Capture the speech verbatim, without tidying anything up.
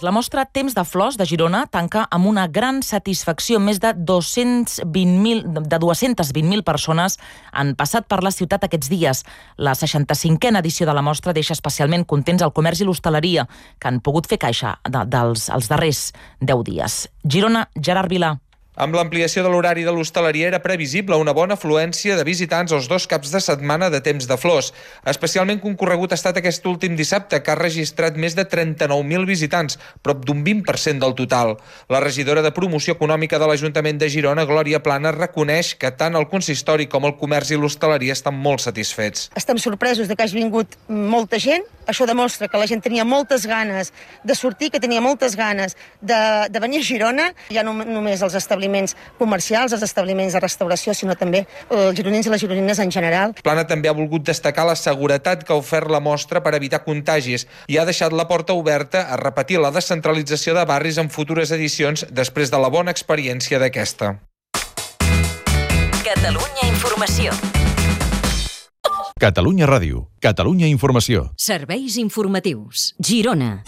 La mostra Temps de Flors de Girona tanca amb una gran satisfacció. Més de dos-cents vint mil de dues-centes vint mil persones han passat per la ciutat aquests dies. La seixanta-cinquena edició de la mostra deixa especialment contents el comerç i l'hostaleria, que han pogut fer caixa de, dels els darrers deu dies. Girona, Gerard Vilà. Amb l'ampliació de l'horari de l'hostaleria era previsible una bona afluència de visitants als dos caps de setmana de Temps de Flors. Especialment concorregut ha estat aquest últim dissabte, que ha registrat més de trenta-nou mil visitants, prop d'un vint per cent del total. La regidora de Promoció Econòmica de l'Ajuntament de Girona, Glòria Plana, reconeix que tant el consistori com el comerç i l'hostaleria estan molt satisfets. Estem sorpresos de que hagi vingut molta gent. Això demostra que la gent tenia moltes ganes de sortir, que tenia moltes ganes de, de venir a Girona. Ja no només els establiments comercials, els establiments de restauració, sinó també els gironins i les gironines en general. Plana també ha volgut destacar la seguretat que ha ofert la mostra per evitar contagis i ha deixat la porta oberta a repetir la descentralització de barris en futures edicions després de la bona experiència d'aquesta. Catalunya Informació. Catalunya Ràdio, Catalunya Informació. Serveis informatius. Girona.